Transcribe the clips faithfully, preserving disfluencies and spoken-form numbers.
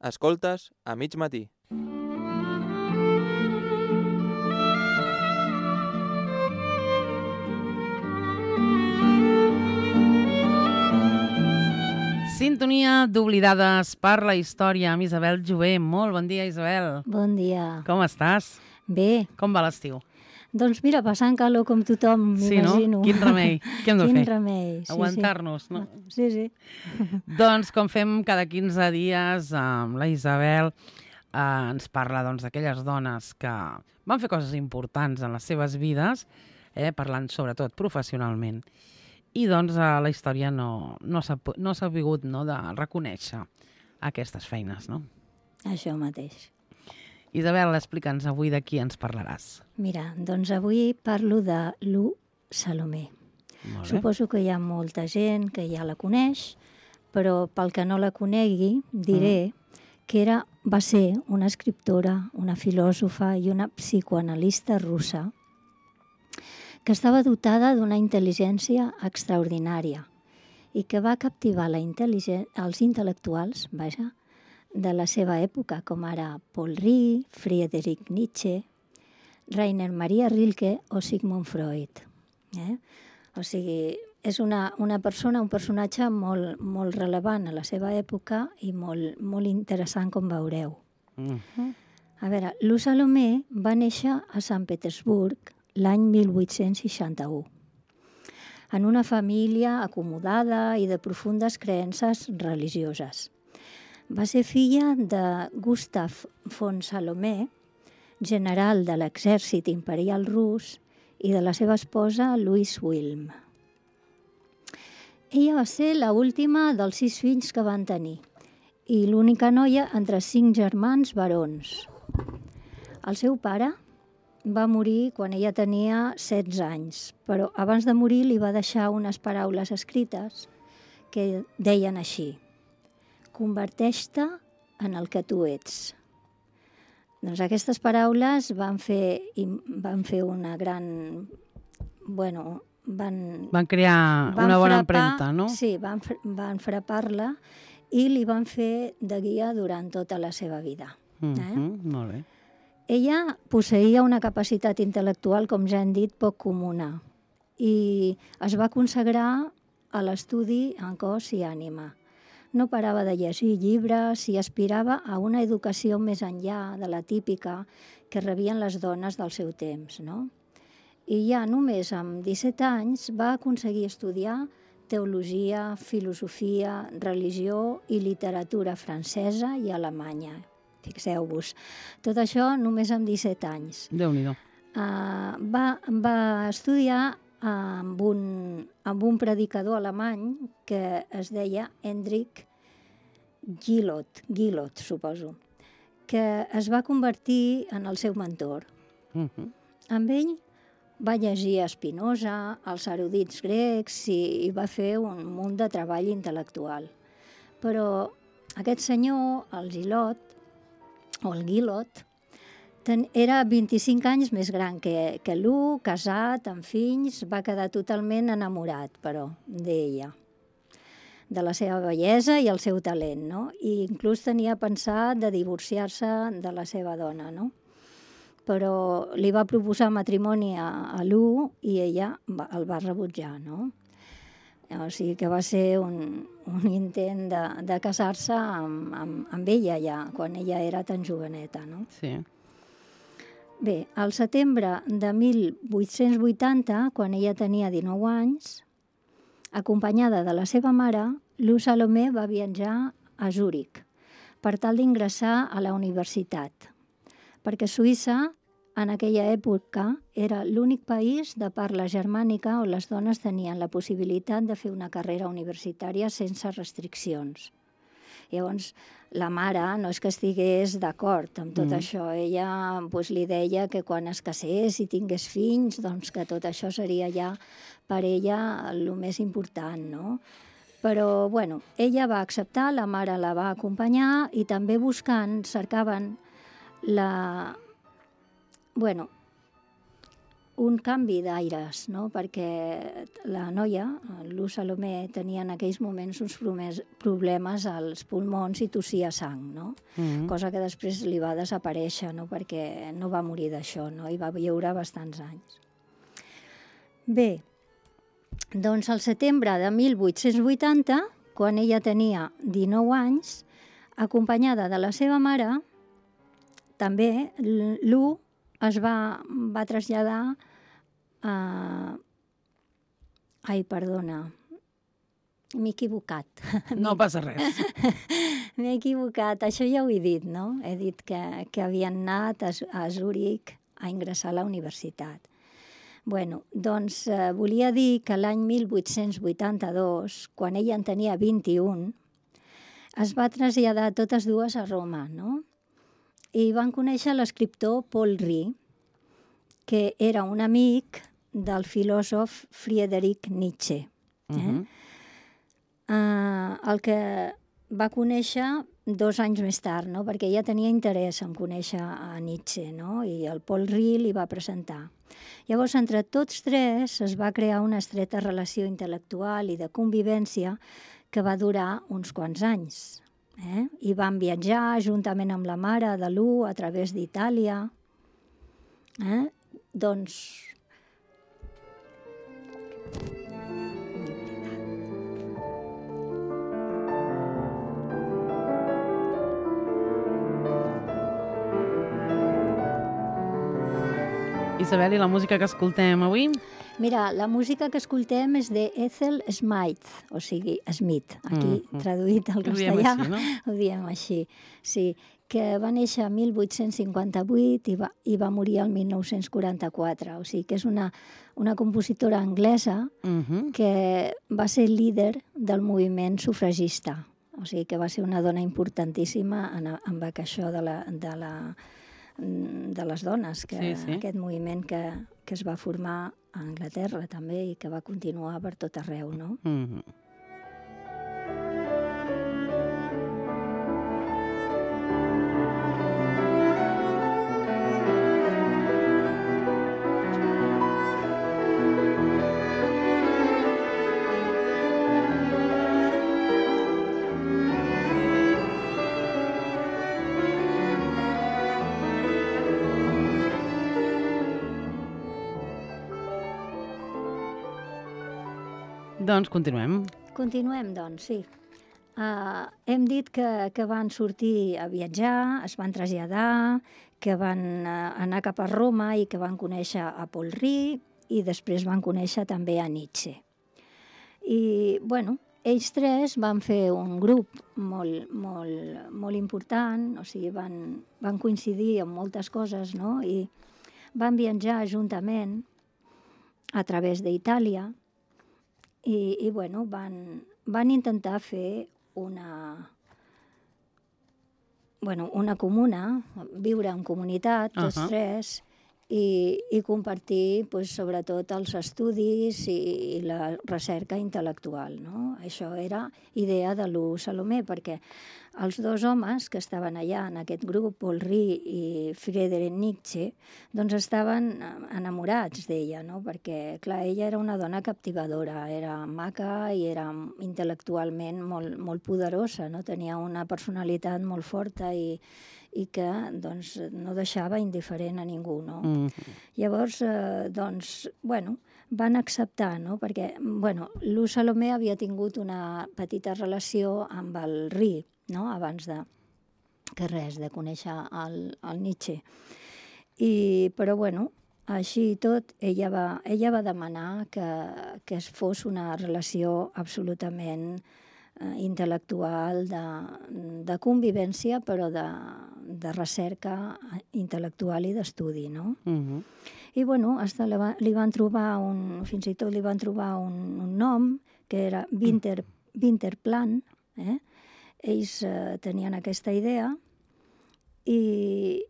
Escoltes a mig matí. Sintonia d'Oblidades per la història amb Isabel Jové. Molt bon dia, Isabel. Bon dia. Com estàs? Bé. Com va l'estiu? Doncs mira, passant calor com tothom, sí, m'imagino. No? Quin remei. Què hem de Quin fer? Quin remei. Sí, Aguantar-nos, sí. no? Sí, sí. Doncs com fem cada quinze dies amb la Isabel, eh, ens parla doncs, d'aquelles dones que van fer coses importants en les seves vides, eh, parlant sobretot professionalment. I doncs eh, la història no, no s'ha no s'ha pogut no, de reconèixer aquestes feines, no? Això mateix. Isabel, explica'ns avui de qui ens parlaràs. Mira, doncs avui parlo de Lou Salomé. Suposo que hi ha molta gent que ja la coneix, però pel que no la conegui diré mm. que era, va ser una escriptora, una filòsofa i una psicoanalista russa que estava dotada d'una intel·ligència extraordinària i que va captivar la els intel·lectuals, vaja, de la seva època, com ara Paul Ricoeur, Friedrich Nietzsche, Rainer Maria Rilke o Sigmund Freud. Eh? O sigui, és una, una persona, un personatge molt, molt rellevant a la seva època i molt, molt interessant, com veureu. Mm-hmm. A veure, Lou Salomé va néixer a Sant Petersburg l'any mil vuit-cents seixanta-u, en una família acomodada i de profundes creences religioses. Va ser filla de Gustav von Salomé, general de l'exèrcit imperial rus, i de la seva esposa Louise Wilm. Ella va ser l'última dels sis fills que van tenir i l'única noia entre cinc germans barons. El seu pare va morir quan ella tenia setze anys, però abans de morir li va deixar unes paraules escrites que deien així: converteix-te en el que tu ets. Doncs aquestes paraules van fer, van fer una gran... Bueno, van... Van crear van una bona frapar, empremta, no? Sí, van, van frapar-la i li van fer de guia durant tota la seva vida. Mm-hmm, eh? Molt bé. Ella posseïa una capacitat intel·lectual, com ja hem dit, poc comuna i es va consagrar a l'estudi en cos i ànima. No parava de llegir llibres i aspirava a una educació més enllà de la típica que rebien les dones del seu temps, no? I ja només amb disset anys va aconseguir estudiar teologia, filosofia, religió i literatura francesa i alemanya. Fixeu-vos, tot això només amb disset anys. Déu-n'hi-do. Uh, va, va estudiar amb un, amb un predicador alemany que es deia Hendrik Gillot, Gillot, suposo, que es va convertir en el seu mentor. Uh-huh. Amb ell va llegir Spinoza, els erudits grecs i, i va fer un munt de treball intel·lectual. Però aquest senyor, el Gillot, o el Gillot, ten, era vint-i-cinc anys més gran que, que Lou, casat, amb fills, va quedar totalment enamorat, però, d'ella, de la seva bellesa i el seu talent, no? I inclús tenia pensat de divorciar-se de la seva dona, no? Però li va proposar matrimoni a, a Lou i ella va, el va rebutjar, no? O sigui que va ser un, un intent de, de casar-se amb, amb, amb ella ja, quan ella era tan joveneta, no? Sí. Bé, al setembre de mil vuit-cents vuitanta, quan ella tenia dinou anys, acompanyada de la seva mare, Lou Salomé va viatjar a Zúrich per tal d'ingressar a la universitat, perquè Suïssa en aquella època era l'únic país de parla germànica on les dones tenien la possibilitat de fer una carrera universitària sense restriccions. Llavors, la mare no és que estigués d'acord amb tot mm. això. Ella pues, li deia que quan es casés i tingués fills, doncs que tot això seria ja per ella el més important, no? Però, bueno, ella va acceptar, la mare la va acompanyar i també buscant, cercaven la... Bueno, un canvi d'aires, no? Perquè la noia, Lu Salomé, tenia en aquells moments uns problemes als pulmons i tossia sang, no? Mm. Cosa que després li va desaparèixer, no? Perquè no va morir d'això, no? I va viure bastants anys. Bé, doncs al setembre de mil vuit-cents vuitanta, quan ella tenia dinou anys, acompanyada de la seva mare, també Lu es va, va traslladar a... Ai, perdona, m'he equivocat. No passa res. M'he equivocat, això ja ho he dit, no? He dit que, que havien anat a, a Zúrich a ingressar a la universitat. Bueno, doncs eh, volia dir que l'any mil vuit-cents vuitanta-dos, quan ella en tenia vint-i-un, es va traslladar totes dues a Roma, no? I van conèixer l'escriptor Paul Riz, que era un amic del filòsof Friedrich Nietzsche. Eh? Uh-huh. Uh, el que va conèixer dos anys més tard, no? Perquè ella tenia interès en conèixer a Nietzsche, no? I el Paul Riz li va presentar. Llavors, entre tots tres es va crear una estreta relació intel·lectual i de convivència que va durar uns quants anys. Eh? I van viatjar juntament amb la mare de Lu a través d'Itàlia. Eh? Doncs... Isabel, i la música que escoltem avui? Mira, la música que escoltem és de Ethel Smythe, o sigui, Smith, aquí Mm. traduït al Ho diem castellà. així, no? Ho diem així, sí, que va néixer el mil vuit-cents cinquanta-vuit i va, i va morir el mil nou-cents quaranta-quatre. O sigui que és una, una compositora anglesa Uh-huh. que va ser líder del moviment sufragista. O sigui que va ser una dona importantíssima en, en això de, la, de, la, de les dones, que, Sí, sí. aquest moviment que, que es va formar a Anglaterra també i que va continuar per tot arreu, no? Uh-huh. Doncs continuem. Continuem, doncs, sí. Uh, hem dit que, que van sortir a viatjar, es van traslladar, que van uh, anar cap a Roma i que van conèixer a Paul Riz i després van conèixer també a Nietzsche. I, bueno, ells tres van fer un grup molt, molt, molt important, o sigui, van, van coincidir en moltes coses, no? I van viatjar juntament a través d'Itàlia i, i bueno, van, van intentar fer una, bueno, una comuna, viure en comunitat, tots Ahà. tres, i, i compartir pues, sobretot els estudis i, i la recerca intel·lectual, no? Això era idea de Lu Salomé, perquè els dos homes que estaven allà en aquest grup, Paul Riz i Friedrich Nietzsche, doncs estaven enamorats d'ella, no? Perquè, clar, ella era una dona captivadora, era maca i era intel·lectualment molt, molt poderosa, no? Tenia una personalitat molt forta i, i que doncs, no deixava indiferent a ningú, no? Uh-huh. Llavors, eh, doncs, bueno, van acceptar, no? Perquè, bueno, Lu Salomé havia tingut una petita relació amb el Riz, no? Abans de que res, de conèixer el, el Nietzsche. I, però, bueno, així i tot, ella va, ella va demanar que, que es fos una relació absolutament eh, intel·lectual, de, de convivència, però de, de recerca intel·lectual i d'estudi, no? Uh-huh. I, bueno, hasta li, va, li van trobar un, fins i tot li van trobar un, un nom, que era Winter, Winterplan, eh? Ells eh, tenien aquesta idea i,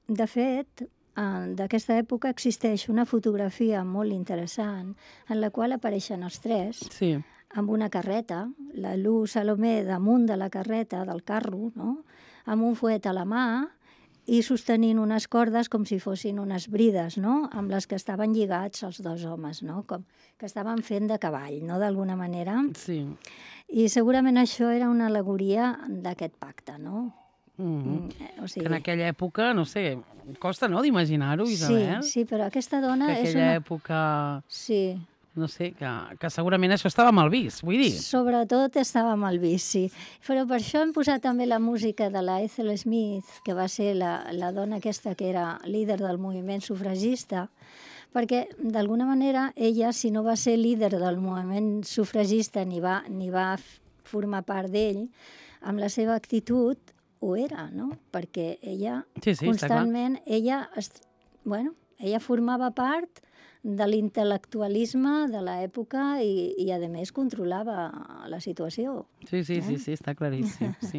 de fet, eh, d'aquesta època existeix una fotografia molt interessant en la qual apareixen els tres Sí. amb una carreta, la Lu Salomé damunt de la carreta, del carro, no? Amb un fuet a la mà i sostenint unes cordes com si fossin unes brides, no?, amb les que estaven lligats els dos homes, no?, com que estaven fent de cavall, no?, d'alguna manera. Sí. I segurament això era una al·legoria d'aquest pacte, no? Mm-hmm. Mm, o sigui... Que en aquella època, no sé, costa, no?, d'imaginar-ho, Isabel. Sí, sí, però aquesta dona que és aquella una... època... Sí. No sé, que, que segurament això estava mal vist, vull dir. Sobretot estava mal vist, sí. Però per això hem posat també la música de la Ethel Smith, que va ser la, la dona aquesta que era líder del moviment sufragista, perquè d'alguna manera ella, si no va ser líder del moviment sufragista ni va, ni va formar part d'ell, amb la seva actitud ho era, no? Perquè ella sí, sí, constantment, ella, bueno, ella formava part de l'intel·lectualisme de l'època i, i, a més, controlava la situació. Sí, sí, eh? sí, sí, està claríssim, sí.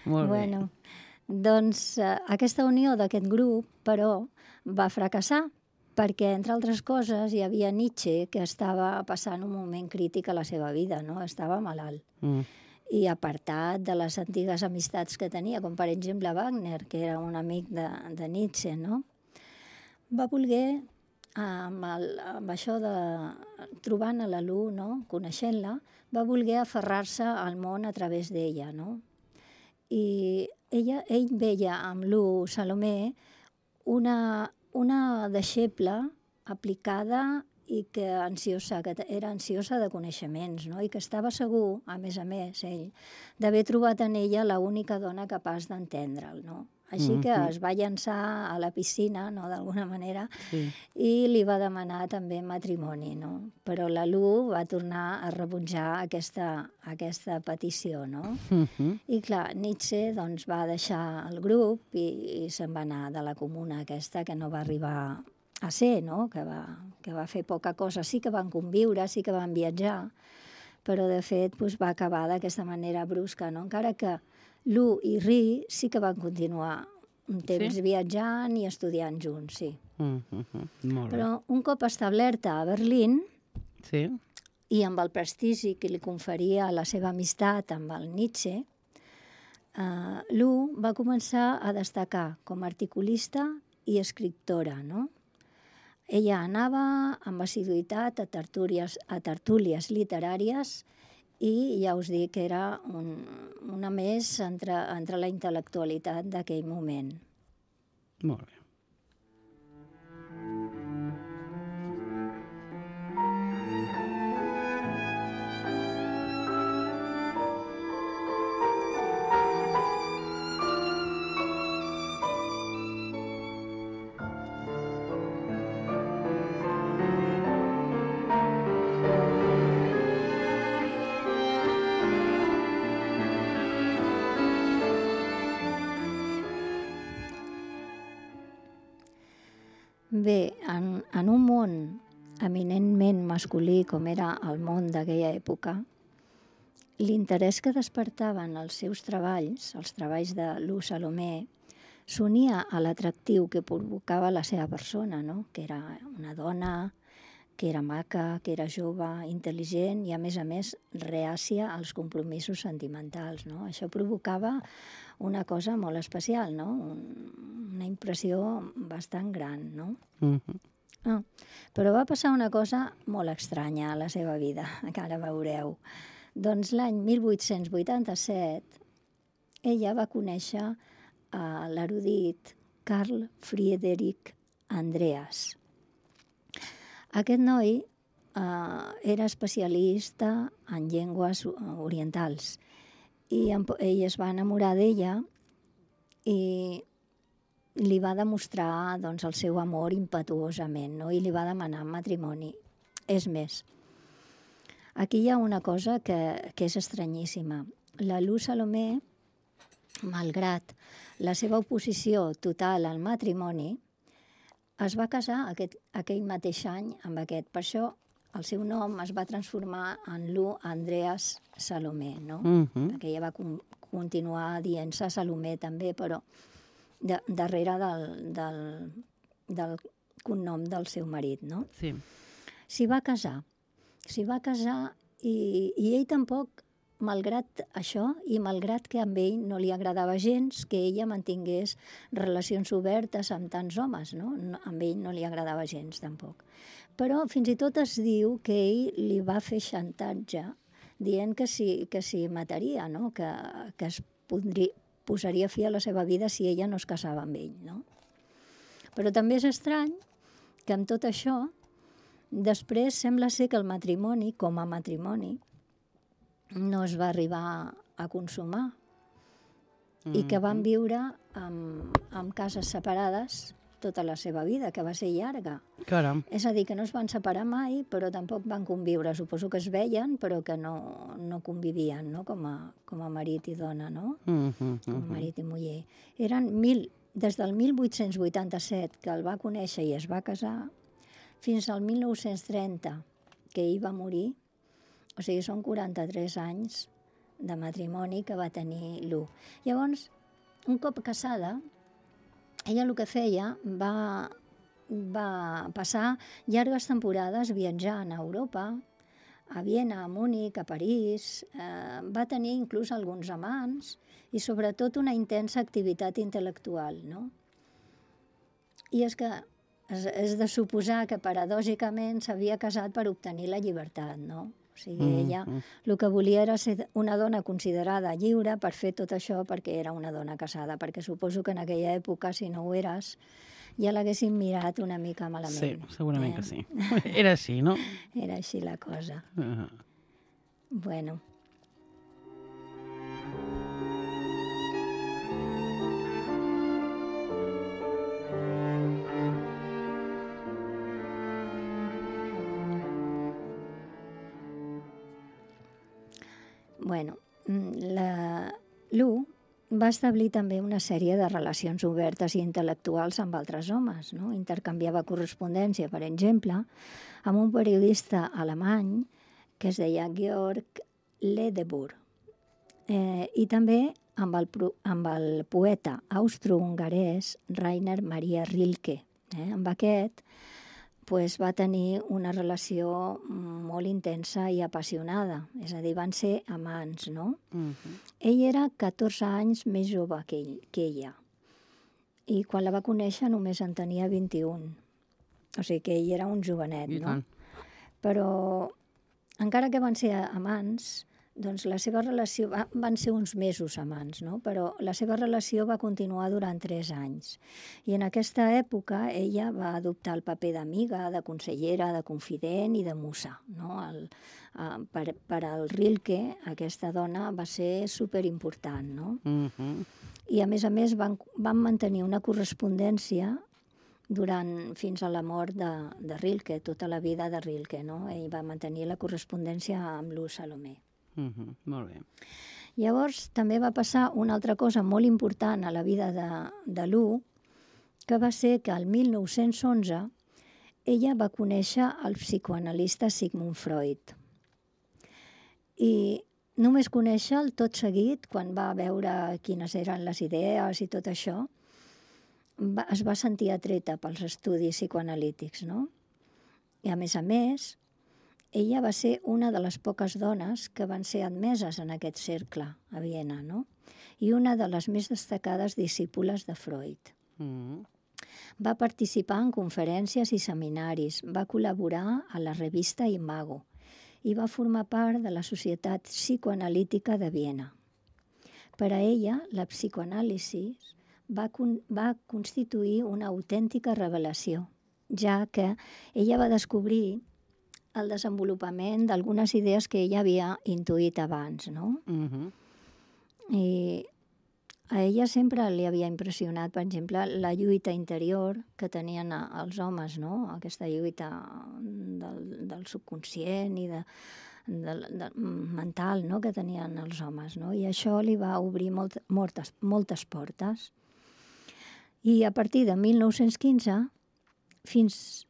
Molt bueno, bé. Doncs eh, aquesta unió d'aquest grup, però, va fracassar, perquè, entre altres coses, hi havia Nietzsche, que estava passant un moment crític a la seva vida, no? Estava malalt. Mm. I apartat de les antigues amistats que tenia, com per exemple Wagner, que era un amic de, de Nietzsche, no? Va voler... Amb, el, amb això de trobant a la Lu, no? Coneixent-la, va voler aferrar-se al món a través d'ella, no? I ella, ell veia amb Lu Salomé una, una deixeble aplicada i que ansiosa, que era ansiosa de coneixements, no? I que estava segur, a més a més, ell, d'haver trobat en ella l'única dona capaç d'entendre'l, no? Així que es va llançar a la piscina, no?, d'alguna manera, sí. I li va demanar també matrimoni, no? Però la Lu va tornar a rebutjar aquesta, aquesta petició, no? Uh-huh. I clar, Nietzsche doncs, va deixar el grup i, i se'n va anar de la comuna aquesta que no va arribar a ser, no?, que va, que va fer poca cosa. Sí que van conviure, sí que van viatjar, però de fet doncs, va acabar d'aquesta manera brusca, no? Encara que Lu i Ri sí que van continuar un temps sí? viatjant i estudiant junts, sí. Mm -hmm. Molt bé. Però un cop establerta a Berlín, sí? I amb el prestigi que li conferia la seva amistat amb el Nietzsche, eh, Lu va començar a destacar com a articulista i escriptora, no? Ella anava amb assiduïtat a tertúlies, a tertúlies literàries i ja us dic que era un, una més entre, entre la intel·lectualitat d'aquell moment. Molt bé. Bé, en, en un món eminentment masculí com era el món d'aquella època, l'interès que despertaven els seus treballs, els treballs de Lu Salomé, s'unia a l'atractiu que provocava la seva persona, no? Que era una dona, que era maca, que era jove, intel·ligent i, a més a més, reàcia als compromisos sentimentals, no? Això provocava una cosa molt especial, no? Una impressió bastant gran, no? Mm-hmm. Ah, però va passar una cosa molt estranya a la seva vida, que ara veureu. Doncs l'any mil vuit-cents vuitanta-set ella va conèixer a l'erudit Carl Friedrich Andreas. Aquest noi eh, era especialista en llengües orientals i ell es va enamorar d'ella i li va demostrar doncs, el seu amor impetuosament, no? I li va demanar matrimoni. És més, aquí hi ha una cosa que, que és estranyíssima. La Lu Salomé, malgrat la seva oposició total al matrimoni, es va casar aquest, aquell mateix any amb aquest. Per això el seu nom es va transformar en Lu Andreas Salomé, no? Mm-hmm. Perquè ella va con- continuar dient-se Salomé també, però de, darrere del, del, del cognom del seu marit, no? Sí. S'hi va casar. S'hi va casar i, i ell tampoc malgrat això i malgrat que amb ell no li agradava gens que ella mantingués relacions obertes amb tants homes, no? No, amb ell no li agradava gens, tampoc. Però fins i tot es diu que ell li va fer xantatge dient que si, que si mataria, no? que, que es podria, posaria fi a la seva vida si ella no es casava amb ell. No? Però també és estrany que amb tot això, després sembla ser que el matrimoni, com a matrimoni, no es va arribar a consumar mm-hmm. i que van viure amb, amb cases separades tota la seva vida, que va ser llarga. Caram. És a dir, que no es van separar mai, però tampoc van conviure. Suposo que es veien, però que no, no convivien, no? Com a, com a marit i dona, no? Mm-hmm. Com a marit i muller. Eren mil, des del mil vuit-cents vuitanta-set, que el va conèixer i es va casar, fins al mil nou-cents trenta, que ell va morir. O sigui, són quaranta-tres anys de matrimoni que va tenir l'U. Llavors, un cop casada, ella el que feia va, va passar llargues temporades viatjant a Europa, a Viena, a Múnich, a París. Eh, va tenir inclús alguns amants i sobretot una intensa activitat intel·lectual, no? I és que és, és de suposar que paradògicament s'havia casat per obtenir la llibertat, no? O sigui, mm, ella mm. el que volia era ser una dona considerada lliure per fer tot això perquè era una dona casada, perquè suposo que en aquella època, si no ho eres, ja l'haguessin mirat una mica malament. Sí, segurament eh? que sí. Era així, no? Era així la cosa. Uh-huh. Bueno. Bueno, la l'U va establir també una sèrie de relacions obertes i intel·lectuals amb altres homes, no? Intercanviava correspondència, per exemple, amb un periodista alemany que es deia Georg Ledebour, eh, i també amb el, amb el poeta austro-hongarès Rainer Maria Rilke. Eh? Amb aquest pues, va tenir una relació molt intensa i apassionada, és a dir, van ser amants, no? Uh-huh. Ell era catorze anys més jove que, ell, que ella, i quan la va conèixer només en tenia vint-i-un, o sigui que ell era un jovenet, I no? tant. Però encara que van ser amants, doncs la seva relació, va, van ser uns mesos amants, no? Però la seva relació va continuar durant tres anys. I en aquesta època ella va adoptar el paper d'amiga, de consellera, de confident i de musa, no? El, uh, per, per al Rilke, aquesta dona va ser superimportant, no? Uh-huh. I a més a més van, van mantenir una correspondència durant, fins a la mort de, de Rilke, tota la vida de Rilke, no? Ell va mantenir la correspondència amb l'U Salomé. Uh-huh. Molt bé. Llavors també va passar una altra cosa molt important a la vida de, de l'U, que va ser que el mil nou-cents onze ella va conèixer el psicoanalista Sigmund Freud. I només conèixer-lo tot seguit, quan va veure quines eren les idees i tot això, va, es va sentir atreta pels estudis psicoanalítics, no? I a més a més, ella va ser una de les poques dones que van ser admeses en aquest cercle a Viena, no? I una de les més destacades discípules de Freud. Mm. Va participar en conferències i seminaris, va col·laborar a la revista Imago i va formar part de la Societat Psicoanalítica de Viena. Per a ella, la psicoanàlisi va, con va constituir una autèntica revelació, ja que ella va descobrir el desenvolupament d'algunes idees que ella havia intuït abans, no? Uh-huh. I a ella sempre li havia impressionat, per exemple, la lluita interior que tenien els homes, no? Aquesta lluita del, del subconscient i de, de, de, mental, no? Que tenien els homes, no? I això li va obrir molt, moltes, moltes portes. I a partir de mil nou-cents quinze, fins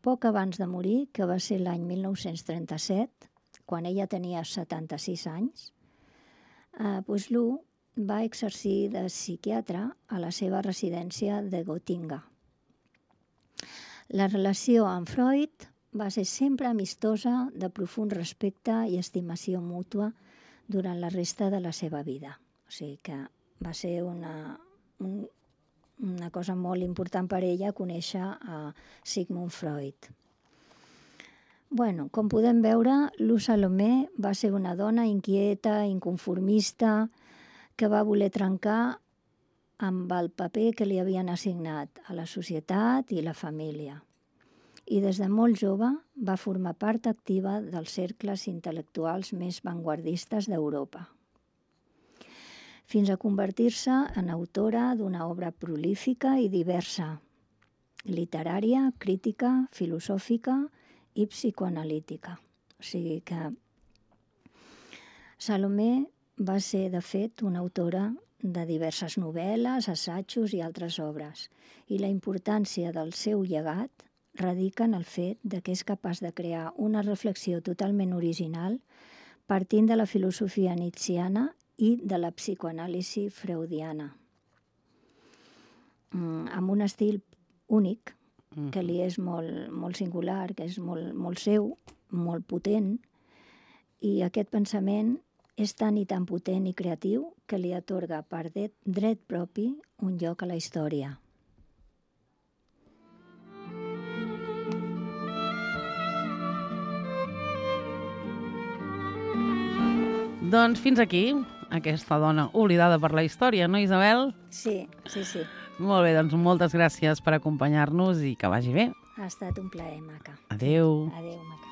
poc abans de morir, que va ser l'any mil nou-cents trenta-set, quan ella tenia setanta-sis anys, eh, doncs l'U va exercir de psiquiatre a la seva residència de Gotinga. La relació amb Freud va ser sempre amistosa, de profund respecte i estimació mútua, durant la resta de la seva vida. O sigui que va ser una, un, una cosa molt important per ella conèixer a Sigmund Freud. Bueno, com podem veure, Luz Salomé va ser una dona inquieta, inconformista, que va voler trencar amb el paper que li havien assignat a la societat i la família. I des de molt jove va formar part activa dels cercles intel·lectuals més vanguardistes d'Europa, fins a convertir-se en autora d'una obra prolífica i diversa, literària, crítica, filosòfica i psicoanalítica. O sigui que Salomé va ser, de fet, una autora de diverses novel·les, assajos i altres obres, i la importància del seu llegat radica en el fet de que és capaç de crear una reflexió totalment original partint de la filosofia nietzschiana i de la psicoanàlisi freudiana, mm, amb un estil únic, que li és molt, molt singular, que és molt, molt seu, molt potent, i aquest pensament és tan i tan potent i creatiu que li atorga per dret, dret propi un lloc a la història. Doncs fins aquí, aquesta dona oblidada per la història, no, Isabel? Sí, sí, sí. Molt bé, doncs moltes gràcies per acompanyar-nos i que vagi bé. Ha estat un plaer, maca. Adéu. Adéu, maca.